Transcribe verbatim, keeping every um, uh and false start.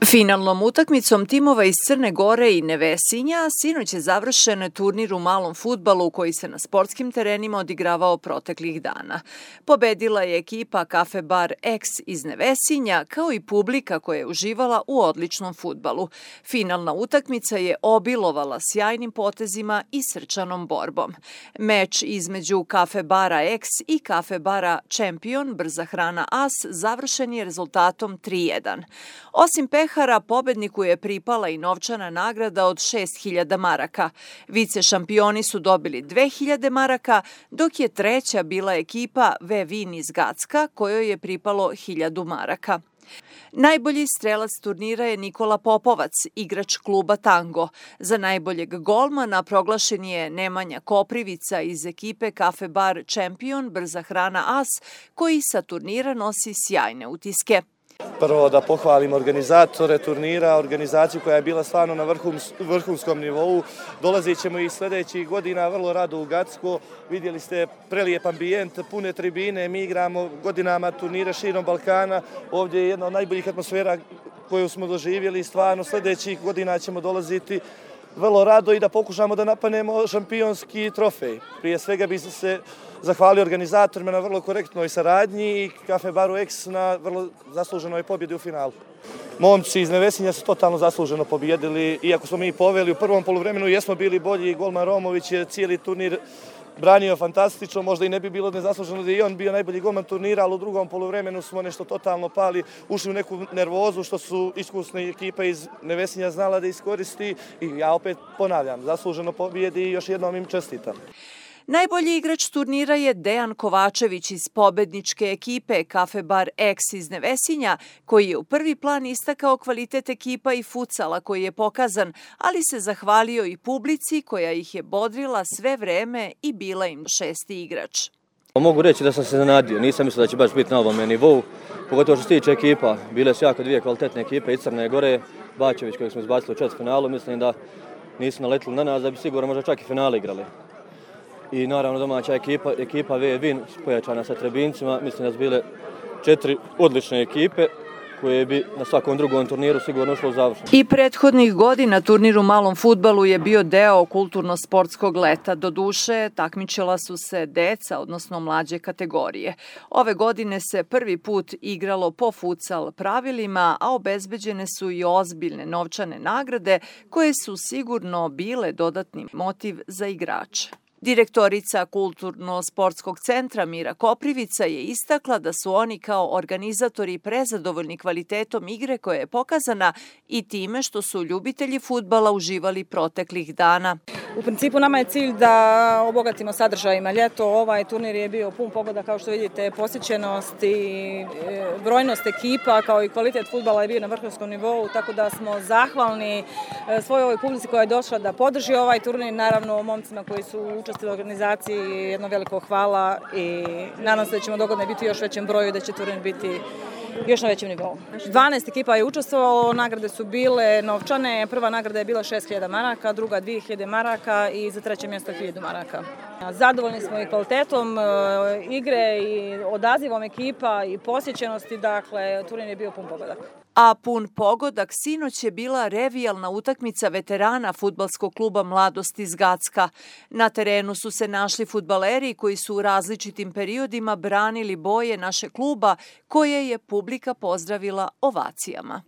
Finalnom utakmicom timova iz Crne Gore i Nevesinja sinoć je završen turnir u malom fudbalu koji se na sportskim terenima odigravao proteklih dana. Pobedila je ekipa Kafe Bar X iz Nevesinja kao i publika koja je uživala u odličnom fudbalu. Finalna utakmica je obilovala sjajnim potezima i srčanom borbom. Meč između Kafe Bara X i Kafe Bara Champion Brza hrana As završen je rezultatom tri jedan. Osim pehara, pobedniku je pripala i novčana nagrada od šest hiljada maraka. Vice šampioni su dobili dve hiljade maraka, dok je treća bila ekipa Vevin iz Gacka, kojoj je pripalo hiljadu maraka. Najbolji strelac turnira je Nikola Popovac, igrač kluba Tango. Za najboljeg golmana proglašen je Nemanja Koprivica iz ekipe Kafe Bar Champion Brza hrana As, koji sa turnira nosi sjajne utiske. Prvo da pohvalim organizatore turnira, organizaciju koja je bila stvarno na vrhunskom nivou. Dolazit ćemo i sljedećih godina vrlo rado u Gacko. Vidjeli ste prelijep ambijent, pune tribine, mi igramo godinama turnire širom Balkana. Ovdje je jedna od najboljih atmosfera koju smo doživjeli. Stvarno sljedećih godina ćemo dolaziti vrlo rado i da pokušamo da napadnemo šampionski trofej. Prije svega bi se zahvalio organizatorima na vrlo korektnoj saradnji i Kafe Baru X na vrlo zasluženoj pobjedi u finalu. Momci iz Nevesinja su totalno zasluženo pobjedili, iako smo mi poveli u prvom poluvremenu, jesmo bili bolji. Golman Romović je cijeli turnir branio fantastično, možda i ne bi bilo nezasluženo da je i on bio najbolji golman turnira, ali u drugom poluvremenu smo nešto totalno pali, ušli u neku nervozu što su iskusne ekipe iz Nevesinja znala da iskoristi i ja opet ponavljam, zasluženo pobjedi i još jednom im čestitam. Najbolji igrač turnira je Dejan Kovačević iz pobedničke ekipe Kafe Bar X iz Nevesinja, koji je u prvi plan istakao kvalitet ekipa i futsala koji je pokazan, ali se zahvalio i publici koja ih je bodrila sve vreme i bila im šesti igrač. Mogu reći da sam se zanadio, nisam mislio da će baš biti na ovome nivou, pogotovo što se tiče ekipa. Bile su jako dvije kvalitetne ekipe iz Crne Gore, Bačević kojeg smo izbacili u četvrtfinalu, mislim da nisu naletili na nas da bi sigurno možda čak i finale igrali. I naravno domaća ekipa, ekipa Vevin pojačana sa Trebincima, mislim da su bile četiri odlične ekipe koje bi na svakom drugom turniru sigurno ušlo u završnu. I prethodnih godina turnir u malom fudbalu je bio deo kulturno-sportskog leta. Doduše, takmičila su se deca, odnosno mlađe kategorije. Ove godine se prvi put igralo po futsal pravilima, a obezbeđene su i ozbiljne novčane nagrade koje su sigurno bile dodatni motiv za igrače. Direktorica Kulturno-sportskog centra Mira Koprivica je istakla da su oni kao organizatori prezadovoljni kvalitetom igre koja je pokazana i time što su ljubitelji fudbala uživali proteklih dana. U principu nama je cilj da obogatimo sadržajima ljeto. Ovaj turnir je bio pun pogoda, kao što vidite, posjećenost i brojnost ekipa kao i kvalitet fudbala je bio na vrhunskom nivou, tako da smo zahvalni svojoj ovoj publici koja je došla da podrži ovaj turnir, naravno momcima koji su učestvovali u organizaciji jedno veliko hvala i nadam se da ćemo dogodine biti u još većem broju i da će turnir biti još na većem nivou. dvanaest ekipa je učestvovalo, nagrade su bile novčane, prva nagrada je bila šest hiljada maraka, druga dvije hiljade maraka i za treće mjesto hiljadu maraka. Zadovoljni smo i kvalitetom igre i odazivom ekipa i posjećenosti, dakle turnir je bio pun pogodak. A pun pogodak sinoć je bila revijalna utakmica veterana fudbalskog kluba Mladost iz Gacka. Na terenu su se našli fudbaleri koji su u različitim periodima branili boje naše kluba koje je publika pozdravila ovacijama.